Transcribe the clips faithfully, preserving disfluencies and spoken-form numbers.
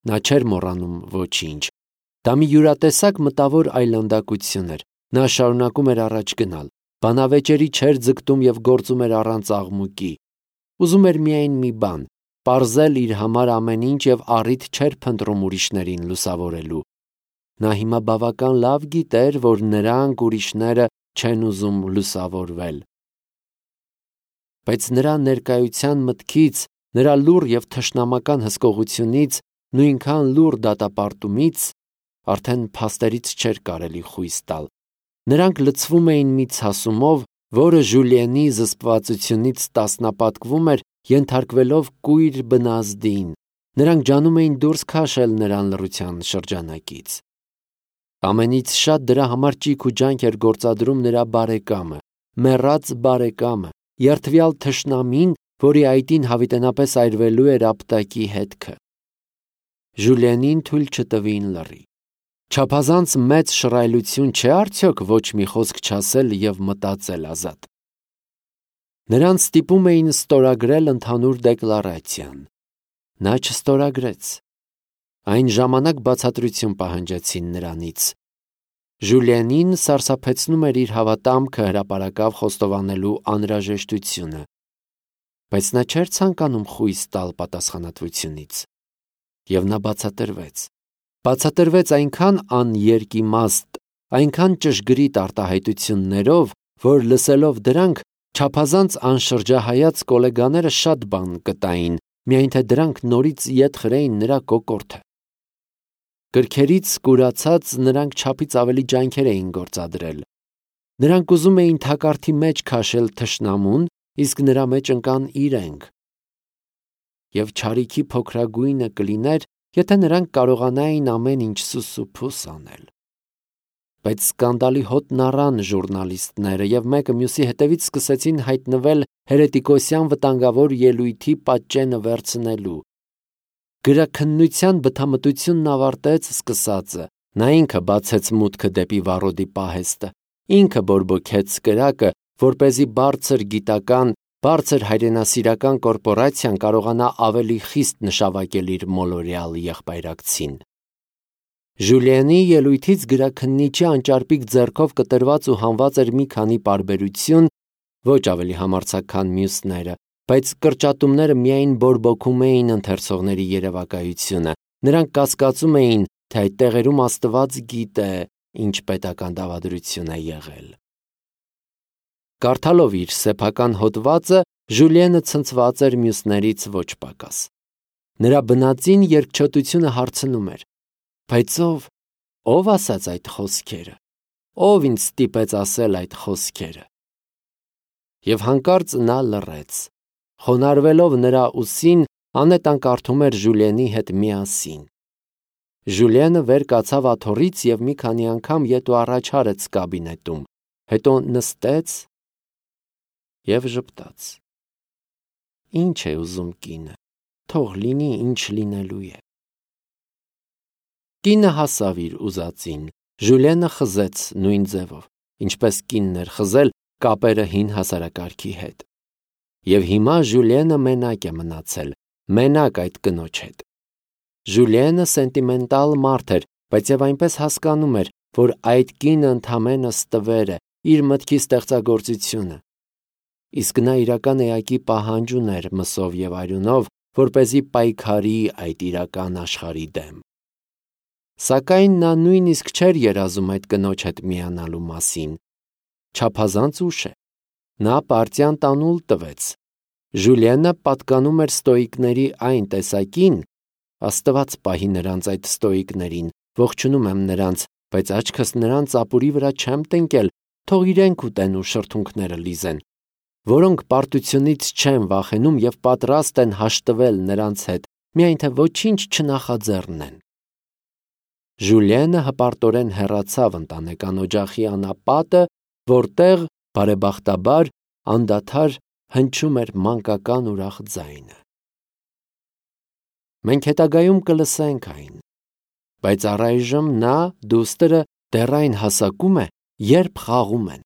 Նա չէր մոռանում ոչինչ։ Դա մի յուրատեսակ մտավոր այլանդակություն էր։ Նա շարունակում էր առաջ գնալ։ Բանավեճերի չէր ձգտում և գործում էր առանց աղմուկի։ Ուզում էր միայն մի բան՝ պարզել իր համար ամեն ինչ և առիթ չէր փնտրում ուրիշներին լուսավորելու։ Նա հիմա բավական լավ գիտեր, որ նրանք ուրիշները չեն ուզում լուսավորվել։ Բայց նրա ներկայության մտքից, նրա լուռ և թշնամական հսկողությունից, նույնքան լուռ դատապարտումից արդեն փաստերից չէր կարելի խույս տալ։ Նրանք լցվում էին մի ցասումով, որը Ժուլիենի զսպվածությունից տասնապատկվում էր, ենթարկվելով կույր բնազդին։ Նրանք ջանում էին դուրս քաշել նրան լռության շրջանակից։ Ամենից շատ դրա համար ճիգ ու ջանք էր գործադրում նրա բարեկամը, մեռած բարեկամը, երդվյալ թշնամին, որի այտին հավիտենապես այրվելու էր ապտակի հետքը։ Ժուլիենին թույլ չտվին լռի։ Չափազանց մեծ շռայլություն չէ արդյոք ոչ մի խոսք չասել և մտածել ազատ։ Նրան ստիպում էին ստորագրել ընդհանուր դեկլարացիան։ Նա չստորագրեց։ Այն ժամանակ բացատրություն պահանջեցին նրանից։ Ժուլիենին սարսափեցնում էր իր հավատամքը հրապարակավ խոստովանելու անհրաժեշտությունը, բայց նա չէր ցանկանում խույս տալ պատասխանատվությունից։ Եվ նա բացատրվեց։ Բացատրվեց այնքան աներկիմաստ, այնքան ճշգրիտ արտահայտություններով, որ լսելով դրանք չափազանց անշրջահայաց կոլեգաները շատ բան կտային, միայն թե դրանք նորից ետ խրեին նրա կոկորդը։ Գրքերից կուրացած նրանք չափից ավելի ջանքեր էին գործադրել։ Նրանք ուզում էին թակարդի մեջ քաշել թշնամուն, իսկ նրա մեջ ընկան իրենք։ Եվ չարիքի փոքրագույնը կլիներ, եթե նրանք կարողանային ամեն ինչ սուսուփուս անել։ Բայց սկանդալի հոտն առան ժուրնալիստները և մեկը մյուսի հետևից սկսեցին հայտնվել հերետիկոսյան վտանգավոր ելույթի պատճենը վերցնելու։ Գրաքննության բթամտությունն ավարտեց սկսածը։ Նա ինքը բացեց մուտքը դեպի վառոդի պահեստը, ինքը բորբոքեց կրակը, որպեսզի բարձր գիտական, բարձր հայրենասիրական կորպորացիան կարողանա ավելի խիստ նշավակել իր մոլորյալ եղբայրակցին։ Ժուլիենի ելույթից գրաքննիչի անճարպիկ ձեռքով կտրված ու հանված էր մի քանի պարբերություն, ոչ ավելի համարձակ, քան մյուսները, բայց կրճատումները միայն բորբոքում էին ընթերցողների երևակայությունը։ Նրանք կասկածում էին, թե այդ տեղերում Աստված գիտե, ինչ պետական դավադրություն է եղել։ Կարդալով իր սեփական հոդվածը, Ժուլիենը ցնցված էր մյուսներից ոչ պակաս։ Նրա բնածին երկչոտությունը հարցնում էր. «Բայց ով, ով ասաց այդ խոսքերը, ով ինձ ստիպեց ասել այդ խոսքերը»։ Եվ հանկարծ նա լռեց։ Խոնարհվելով նրա ուսին, Անետան կարդում էր Ժուլիենի հետ միասին։ Ժուլիենը վեր կացավ աթոռից և մի քանի անգամ ետ ու առաջ արեց կաբինետում, հետո նստեց և ժպտաց։ Ինչ է ուզում կինը, թող լինի, ինչ լինելու է։ Կինը հասավ իր ուզածին։ Ժուլիենը խզեց նույն ձևով, ինչպես կինն էր խզել կապերը հին հասարակարգի հետ։ Եվ հիմա Ժուլիենը մենակ է մնացել, մենակ այդ կնոջ հետ։ Ժուլիենը սենտիմենտալ մարդ էր, բայց և այնպես հասկանում էր, որ այդ կինը ընդամենը ստվեր է, իր մտքի ստեղծագործությունը։ Իսկ նա իրական էակի պահանջ ուներ մսով և արյունով, որպեսզի պայքարի այդ իրական աշխարհի դեմ։ Սակայն նա նույնիսկ չէր երազում այդ կնոջ հետ միանալու մասին։ Չափազանց ուշ է։ Նա պարտիան տանուլ տվեց։ Ժուլիենը պատկանում էր ստոիկների այն տեսակին, Աստված պահի նրանց այդ ստոիկներին, ողջունում եմ նրանց, բայց աչքս նրանց ապուրի վրա չեմ տնկել, թող իրենք ուտեն ու շրթունքները լիզեն, որոնք պարտությունից չեն վախենում և պատրաստ են հաշտվել նրանց հետ, միայն թե ոչինչ չնախաձեռնեն։ Ժուլիենը հպարտորեն հեռացավ ընտանեկան օջախի անապատը, որտեղ, բարեբախտաբար, անդադար հնչում էր մանկական ուրախ ձայնը։ Մենք հետագայում կլսենք այն, բայց առայժմ նա, դուստրը, դեռ այն հասակում է, երբ խաղում են։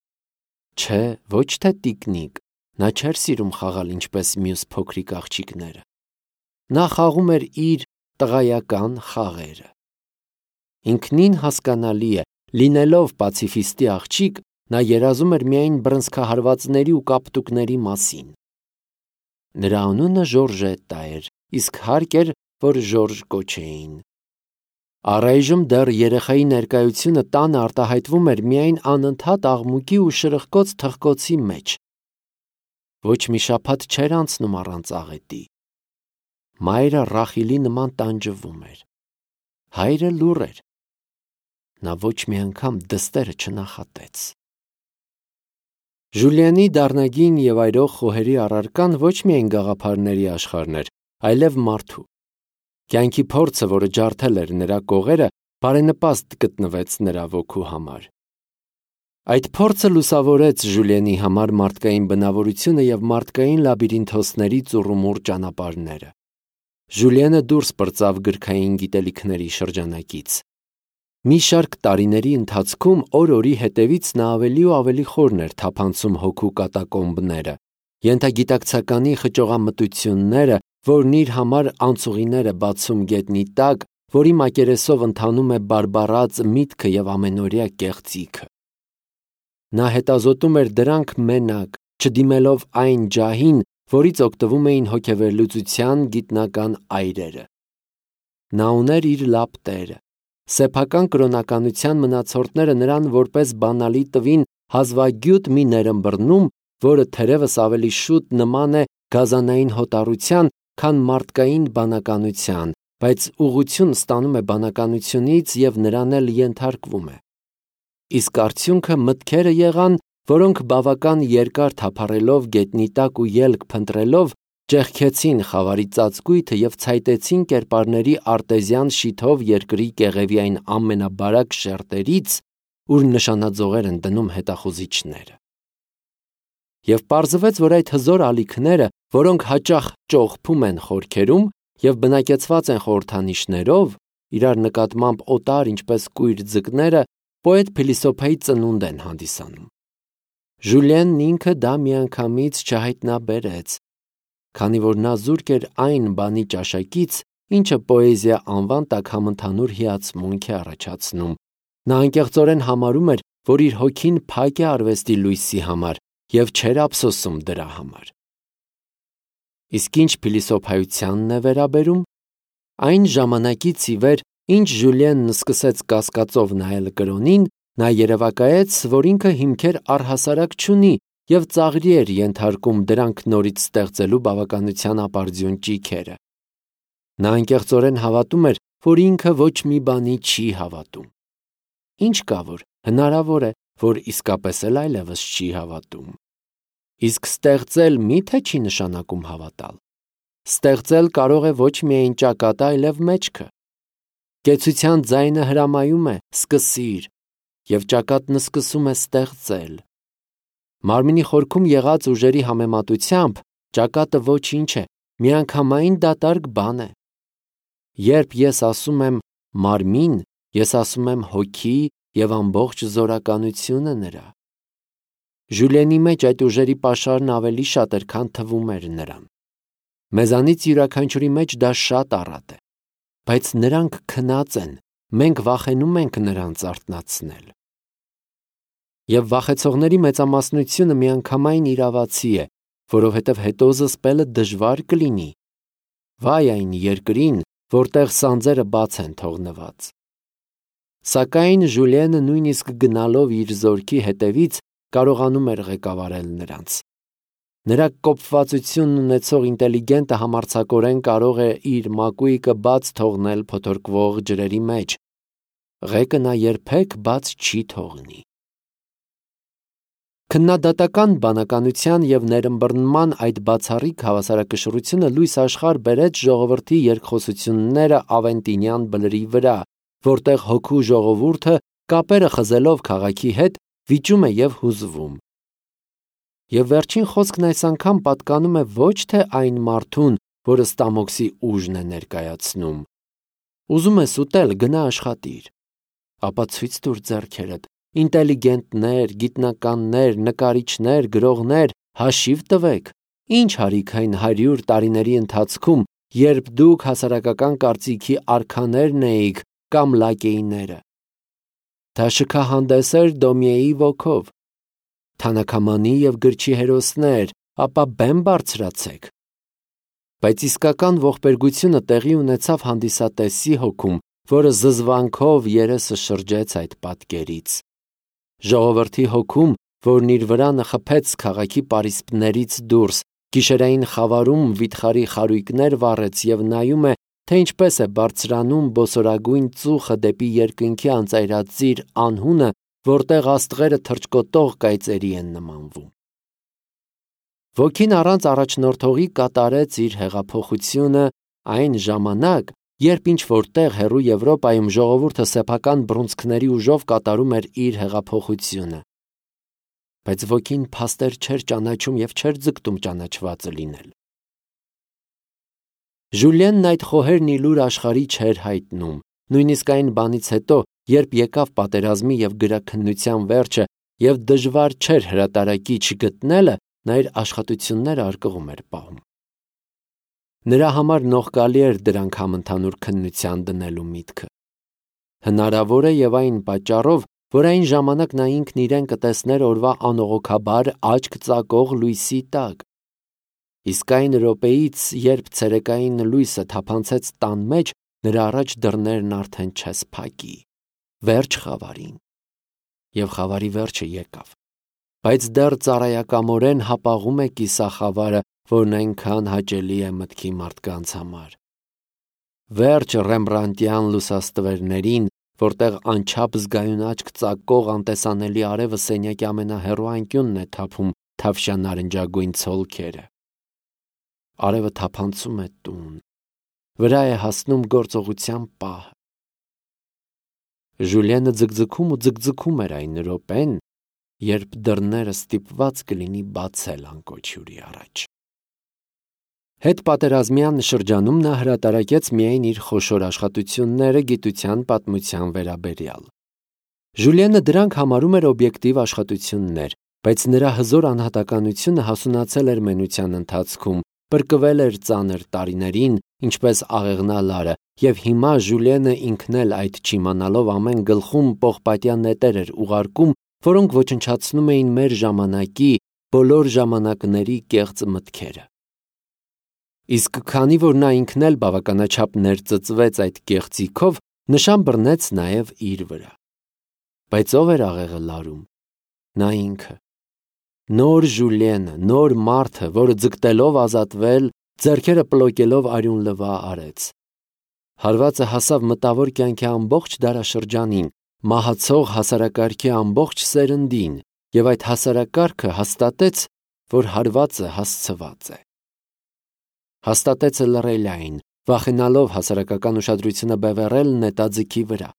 Չէ, ոչ թե տիկնիկ, նա չէր սիրում խաղալ ինչպես մյուս փոքրիկ աղջիկները։ Նա խաղում էր իր տղայական խաղերը։ Ինքնին հասկանալի է, լինելով պացիֆիստի աղջիկ, նա երազում էր միայն բռնցքահարվածների ու կապտուկների մասին։ Նրա անունը Ժորժետտա էր, իսկ հարկ էր, որ Ժորժ կոչեին։ Առայժմ դեռ երեխայի ներկայությունը տանը արտահայտվում էր միայն անընդհատ աղմուկի ու շրխկոց թխկոցի մեջ։ Ոչ մի շաբաթ չէր անցնում առանց աղետի։ Մայրը Ռախիլի նման տանջվում էր։ Հայրը լուռ էր։ Նա ոչ մի անգամ դստերը չնախատեց։ Ժուլիանի դառնագին և այրող խոհերի առարկան ոչ միայն գաղափարների աշխարհն էր, այլև մարդու։ Կյանքի փորձը, որը ջարդել էր նրա կողերը, բարենպաստ գտնվեց նրա ոգու համար։ Այդ փորձը լուսավորեց Ժուլիանի համար մարդկային բնավորությունը և մարդկային լաբիրինթոսների ծուռումուռ ճանապարհները։ Ժուլիանը դուրս պրծավ գրքային գիտելիքների շրջանակից։ Մի շարք տարիների ընթացքում օր-օրի հետևից նա ավելի ու ավելի խորն էր թափանցում հոգու կատակոմբները, ենթագիտակցականի խճողամտությունները, որն իր համար անցուղիներ է բացում գետնի տակ, որի մակերեսով ընթանում է բարբառած միտքը և ամենօրյա կեղծիքը։ Նա հետազոտում էր դրանք մենակ, չդիմելով այն ջահին, որից օգտվում էին հոգեվերլուծության գիտնական այրերը։ Նա ուներ իր լապտերը։ Սեփական կրոնականության մնացորդները նրան որպես բանալի տվին հազվագյուտ մի ներըմբռնում, որը թերևս ավելի շուտ նման է գազանային հոտառության, քան մարդկային բանականության, բայց ուղղություն ստանում է բանականությունից և նրան էլ ենթարկվում է։ Իսկ արդյունքը մտքերը եղան, որոնք բավական երկար թափառելով գետնի տակ ու ելք փնտրելով, ճեղքեցին խավարի ծածկույթը և ցայտեցին կերպարների արտեզյան շիթով երկրի կեղևի այն ամենաբարակ շերտերից, ուր նշանաձողեր են դնում հետախուզիչները։ Եվ պարզվեց, որ այդ հզոր ալիքները, որոնք հաճախ ճողփում են խորքերում և բնակեցված են խորհրդանիշներով, իրար նկատմամբ օտար, ինչպես կույր ձկները, պոետ-փիլիսոփայի ծնունդ են հանդիսանում։ Ժուլիենն ինքը դա միանգամից չհայտնաբերեց, քանի որ նա զուրկ էր այն բանի ճաշակից, ինչը պոեզիա անվան տակ համընդհանուր հիացմունք է առաջացնում։ Նա անկեղծորեն համարում էր, որ իր հոգին փակ է արվեստի լույսի համար և չէր ափսոսում դրա համար։ Իսկ ինչ փիլիսոփայությանն է վերաբերում, այն ժամանակից ի վեր, ինչ Ժուլիենն սկսեց կասկածով նայել կրոնին, նա երևակայեց, որ ինքը հիմքեր առհասարակ չունի և ծաղրի էր ենթարկում դրանք նորից ստեղծելու բավականության ապարդյուն ճիգերը։ Նա անկեղծորեն հավատում էր, որ ինքը ոչ մի բանի չի հավատում։ Ինչ կա, որ հնարավոր է, որ իսկապես էլ այլևս չի հավատում։ Իսկ ստեղծել մի՞թե չի նշանակում հավատալ։ Ստեղծել կարող է ոչ միայն ճակատը, այլև մեջքը։ Կեցության ձայնը հրամայում է «սկսիր», և ճակատն սկսում է ստեղծել։ Մարմնի խորքում եղած ուժերի համեմատությամբ ճակատը ոչինչ է, միանգամայն դատարկ բան է։ Երբ ես ասում եմ մարմին, ես ասում եմ հոգի և ամբողջ զորականությունը նրա։ Ժուլիենի մեջ այդ ուժերի պաշարն ավելի շատ էր, քան թվում էր նրան։ Մեզանից յուրաքանչյուրի մեջ դա շատ առատ է, բայց նրանք քնած են, մենք վախենում ենք նրանց արթնացնել։ Եվ վախեցողների մեծամասնությունը միանգամայն իրավացի է, որովհետև հետո զսպելը դժվար կլինի։ Վայ այն երկրին, որտեղ սանձերը բաց են թողնված։ Սակայն Ժուլիենը նույնիսկ գնալով իր զորքի հետևից կարողանում էր ղեկավարել նրանց։ Նրա կոպվածությունն ունեցող ինտելիգենտը համարձակորեն կարող է իր մակույկը բաց թողնել փոթորկվող ջրերի մեջ։ Ղեկը նա երբեք բաց չի թողնի։ Քննադատական բանականության և ներըմբռնման այդ բացառիկ հավասարակշռությունը լույս աշխարհ բերեց ժողովրդի երկխոսությունները ավենտինյան բլրի վրա, որտեղ հոգու ժողովուրդը, կապերը խզելով քաղաքի հետ, վիճում է և հուզվում։ Եվ վերջին խոսքն այս անգամ պատկանում է ոչ թե այն մարդուն, որը Ստամոքսի ուժն է ներկայացնում։ Ուզում ես ուտել, գնա աշխատիր։ Ապա ցույց տուր ձեռքերդ, ինտելիգենտներ, գիտնականներ, նկարիչներ, գրողներ, հաշիվ տվեք, ինչ հարիք այն հարյուր տարիների ընթացքում երբ դուք հասարակական կարծիքի արքաներն էիք կամ լակեիները։ Դա շքահանդես էր Դոմիեի ոգով։ Թանաքամանի և գրչի հերոսներ, ապա բեմ բարձրացեք։ Բայց իսկական ողբերգությունը տեղի ունեցավ հանդիսատեսի հոգում, որը զզվանքով երեսը շրջեց այդ պատկերից։ Ժողովրդի հոգում, որն իր վրանը խփեց քաղաքի պարիսպներից դուրս, գիշերային խավարում վիթխարի խարույկներ վառեց և նայում է, թե ինչպես է բարձրանում բոսորագույն ծուխը դեպի երկնքի անծայրածիր անհունը, որտեղ աստղերը թռչկոտող կայծերի են նմանվում։ Ոգին առանց առաջնորդողի կատարեց իր հեղափոխությունը այն ժամանակ, երբ ինչ-որ տեղ հեռու Եվրոպայում ժողովուրդը սեփական բռունցքների ուժով կատարում էր իր հեղափոխությունը։ Բայց ոգին փաստեր չէր ճանաչում և չէր ձգտում ճանաչվածը լինել։ Ժուլիենն այդ խոհերն ի լուր աշխարհի չէր հայտնում, նույնիսկ այն բանից հետո, երբ եկավ պատերազմի և գրաքննության վերջը և դժվար չէր հրատարակիչ գտնելը, նա իր աշխատությունները արկղում էր պահում։ Նրա համար նողկալի էր դրանք համընդհանուր քննության դնելու միտքը։ Հնարավոր է և այն պատճառով, որ այն ժամանակ նա ինքն իրեն կտեսներ օրվա անողոքաբար աչք ծակող լույսի տակ։ Իսկ այն րոպեից, երբ ցերեկային լույսը թափանցեց տան մեջ, նրա առաջ դռներն արդեն չեսփակի։ Վերջ խավարին։ Եվ խավարի վերջը եկավ։ Բայց դեռ ծառայակամորեն հապաղում է կիսախավարը, որն այնքան հաճելի է մտքի մարդկանց համար։ Վերջ ռեմբրանտյան լուսաստվերներին, որտեղ անչափ զգայուն աչք ծակող անտեսանելի արևը սենյակի ամենահեռու անկյունն է թափում թավշյա-նարնջագույն ցոլքերը։ Արևը թափանցում է տուն, վրա է հասնում գործողության պահը։ Ժուլիենը ձգձգում ու ձգձգում էր այն րոպեն, երբ դռները ստիպված կլինի բացել անկոչ հյուրի առաջ։ Հետպատերազմյան շրջանում նա հրատարակեց միայն իր խոշոր աշխատությունները գիտության պատմության վերաբերյալ։ Ժուլիենը դրանք համարում էր օբյեկտիվ աշխատություններ, բայց նրա հզոր անհատականությունը հասունացել էր մենության ընթացքում, պրկվել էր ծանր տարիներին, ինչպես աղեղնալարը, և հիմա Ժուլիենը ինքն էլ այդ չիմանալով ամեն գլխում պողպատյա նետեր էր ուղարկում, որոնք ոչնչացնում էին մեր ժամանակի, բոլոր ժամանակների կեղծ մտքերը։ Իսկ քանի որ նա ինքն էլ բավականաչափ ներծծվեց այդ կեղծիքով, նշան բռնեց նաև իր վրա։ Բայց ով էր աղեղը լարում։ Նա ինքը։ Նոր Ժուլիենը, նոր մարդը, որը ձգտելով ազատվել, ձեռքերը պլոկելով արյուն լվա արեց։ Հարվածը հասավ մտավոր կյանքի ամբողջ դարաշրջանին, մահացող հասարակարգի ամբողջ սերնդին, և այդ հասարակարգը հաստատեց, որ հարվածը հասցված է։ Հաստատեց լռելային, վախենալով հասարակական ուշադրությունը բևեռել նետաձիգի վրա։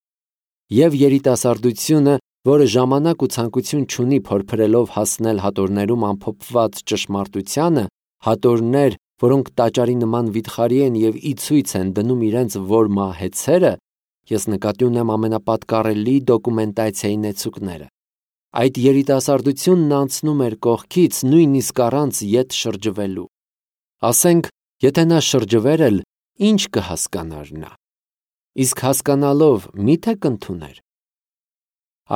Եվ երիտասարդությունը, որը ժամանակ ու ցանկություն չունի փորփրելով հասնել հատորներում ամփոփված ճշմարտությանը, հատորներ, որոնք տաճարի նման վիթխարի են և ի ցույց են դնում իրենց որմա հեցերը, ես նկատի ունեմ ամենապատկառելի դոկումենտացիայի նեցուկները։ Այդ երիտասարդությունն անցնում էր կողքից, նույնիսկ առանց ետ շրջվելու։ Ասենք, եթե նա շրջվեր էլ, ինչ կհասկանար նա։ Իսկ հասկանալով մի՞թե կընդուներ։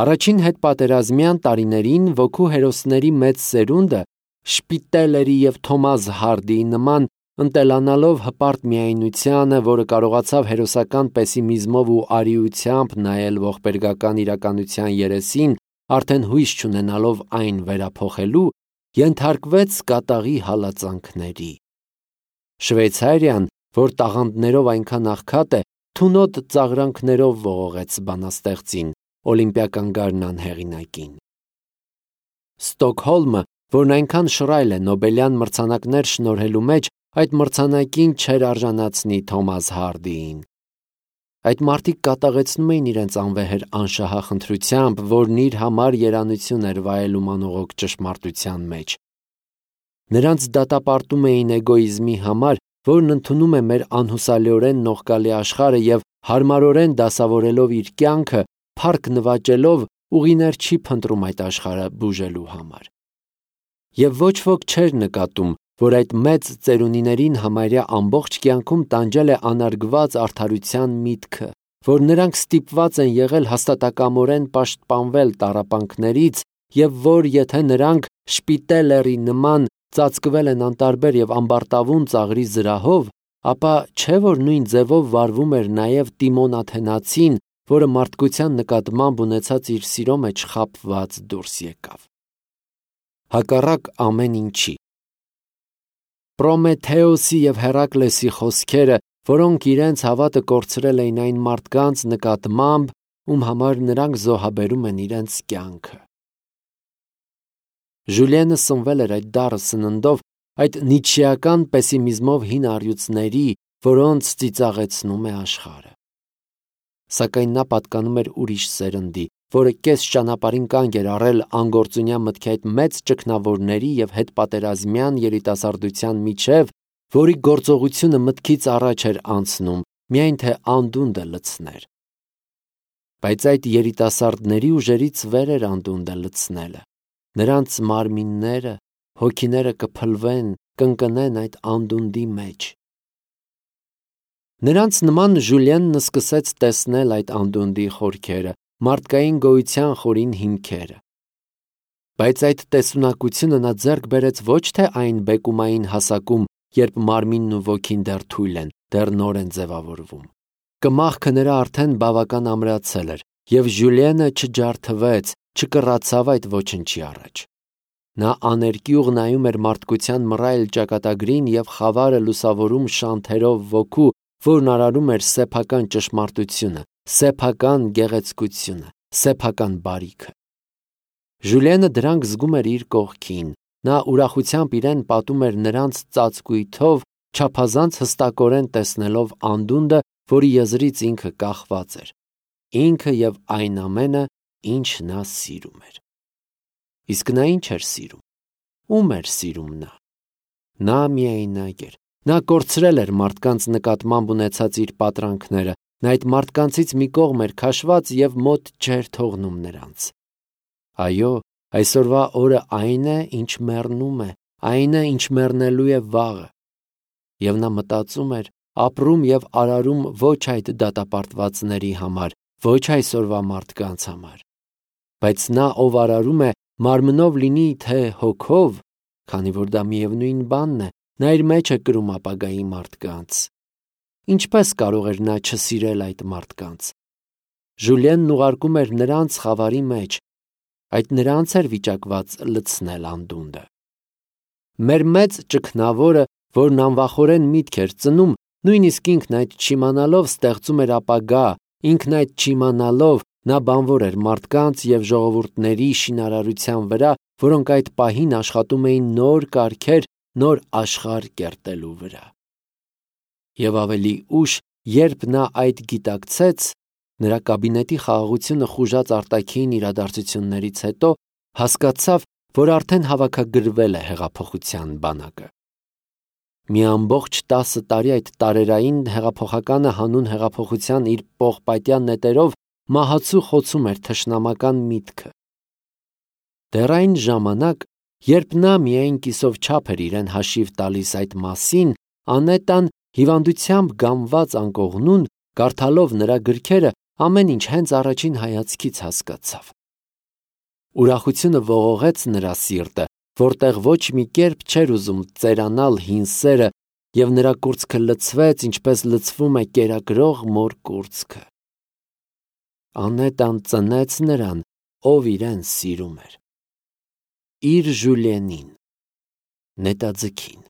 Առաջին հետպատերազմյան տարիներին ոգու հերոսների մեծ սերունդը Շպիտելերի և Թոմաս Հարդիի նման, ընտելանալով հպարտ միայնությանը, որը կարողացավ հերոսական պեսիմիզմով ու արիությամբ նայել ողբերգական իրականության երեսին, արդեն հույս չունենալով այն վերափոխելու, ենթարկվեց կատաղի հալածանքների։ Շվեյցարիան, որ տաղանդներով այնքան աղքատ է, թունոտ ծաղրանքներով ողողեց բանաստեղծին, օլիմպիական գարնան հեղինակին։ Ստոկհոլմը, որն այնքան շռայլ է Նոբելյան մրցանակներ շնորհելու մեջ, այդ մրցանակին չէր արժանացնի Թոմաս Հարդիին։ Այդ մարդիկ կատաղեցնում էին իրենց անվեհեր անշահախնդրությամբ, որն իր համար երանություն էր վայելում անողոք ճշմարտության մեջ։ Նրանց դատապարտում էին էգոիզմի համար, որն ընդունում է մեր անհուսալիորեն նողկալի աշխարհը և հարմարորեն դասավորելով իր կյանքը, փառք նվաճելով ուղիներ չի փնտրում այդ աշխարհը բուժելու համար։ Եվ ոչ ոք չէր նկատում, որ այդ մեծ ծերունիներին համարյա ամբողջ կյանքում տանջել է անարգված արդարության միտքը, որ նրանք ստիպված են եղել հաստատակամորեն պաշտպանվել տառապանքներից և որ եթե նրանք շպիտե լեռի նման ծածկվել են անտարբեր և ամբարտավուն ծաղրի զրահով, ապա չէ որ նույն ձևով վարվում էր նաև Տիմոն Աթենացին, որը մարդկության նկատմամբ ունեցած իր սիրո մեջ խաբված դուրս եկավ։ Հակառակ ամեն ինչի։ Պրոմեթեոսի և Հերակլեսի խոսքերը, որոնք իրենց հավատը կորցրել էին այն մարդկանց նկատմամբ, ում համար նրանք զոհաբերում են իրենց կյանքը։ Ժուլիենը սնվել էր այդ դառը սննդով, այդ նիցշեական պեսիմիզմով հին առյուծների, որոնց ծիծաղեցնում է աշխարհը։ Սակայն նա պատկանում էր ուրիշ սերնդի, որը կես ճանապարհին կանգ էր առել անգործունյա մտքի այդ մեծ ճգնավորների և հետպատերազմյան երիտասարդության միջև, որի գործողությունը մտքից առաջ էր անցնում, միայն թե անդունդը լցներ։ Բայց այդ երիտասարդների ուժերից վեր էր անդունդը լցնելը։ Նրանց մարմինները, հոգիները կփլվեն, կընկնեն այդ անդունդի մեջ։ Նրանց նման Ժուլիենն սկսեց տեսնել այդ անդունդի խորքերը, մարդկային գոյության խորին հիմքերը։ Բայց այդ տեսունակությունը նա ձեռք բերեց ոչ թե այն բեկումային հասակում, երբ մարմինն ու ոգին դեռ թույլ են, դեռ նոր են ձևավորվում։ Կմախքը նրա արդեն բավական ամրացել էր, և Ժուլիենը չջարդվեց, չկռացավ այդ ոչնչի առաջ։ Նա աներկյուղ նայում էր մարդկության մռայլ ճակատագրին և խավարը լուսավորում շանթերով ոգու, որն արարում էր սեփական ճշմարտությունը, սեփական գեղեցկությունը, սեփական բարիքը։ Ժուլիենը դրանք զգում էր իր կողքին, նա ուրախությամբ իրեն պատում էր նրանց ծածկույթով, չափազանց հստակորեն տեսնելով անդունդը, որի եզրից ինքը կախված էր, ինքը և այն ամենը, ինչ նա սիրում էր։ Իսկ նա ինչ էր սիրում։ Ում էր սիրում նա։ Նա միայնակ էր։ Նա կորցրել էր մարդկանց նկատմամբ ունեցած իր պատրանքները, նա այդ մարդկանցից մի կողմ էր քաշված և մոտ չէր թողնում նրանց։ Այո, այսօրվա օրը այն է, ինչ մեռնում է, այն է, ինչ մեռնելու է վաղը։ Եվ նա մտածում էր, ապրում և արարում ոչ այդ դատապարտվածների համար, ոչ այսօրվա մարդկանց համար, բայց նա, ով արարում է, մարմնով լինի թե հոգով, քանի որ դա միևնույն բանն է, նա իր մեջ է կրում ապագայի մարդկանց։ Ինչպես կարող էր նա չսիրել այդ մարդկանց։ Ժուլիենն ուղարկում էր նրանց խավարի մեջ, այդ նրանց էր վիճակված լցնել անդունդը։ Մեր մեծ ճգնավորը, որն անվախորեն միտք էր ծնում, նույնիսկ ինքն այդ չիմանալով ստեղծում էր ապագա, ինքն այդ չիմանալով նա բանվոր էր մարդկանց և ժողովուրդների շինարարության վրա, որոնք այդ պահին աշխատում էին նոր կարգեր, նոր աշխարհ կերտելու վրա։ Եվ ավելի ուշ, երբ նա այդ գիտակցեց, նրա կաբինետի խաղաղությունը խուժած արտաքին իրադարձություններից հետո հասկացավ, որ արդեն հավաքագրվել է հեղափոխության բանակը։ Մի ամբողջ տասը տարի այդ տարերային հեղափոխականը հանուն հեղափոխության իր պողպատյան նետերով մահացու խոցում էր թշնամական միտքը։ Դեռ այն ժամանակ, երբ նա միայն կիսով չափ էր իրեն հաշիվ տալիս այդ մասին, Անետան հիվանդությամբ գամված անկողնուն, կարդալով նրա գրքերը, ամեն ինչ հենց առաջին հայացքից հասկացավ։ Ուրախությունը ողողեց նրա սիրտը, որտեղ ոչ մի կերպ չէր ուզում ծերանալ հին սերը, և նրա կուրծքը լցվեց, ինչպես լցվում է կերակրող մոր կուրծքը։ Անետան ծնեց նրան, ով իրեն սիրում էր։ Իր Ժուլիենին, նետաձգին։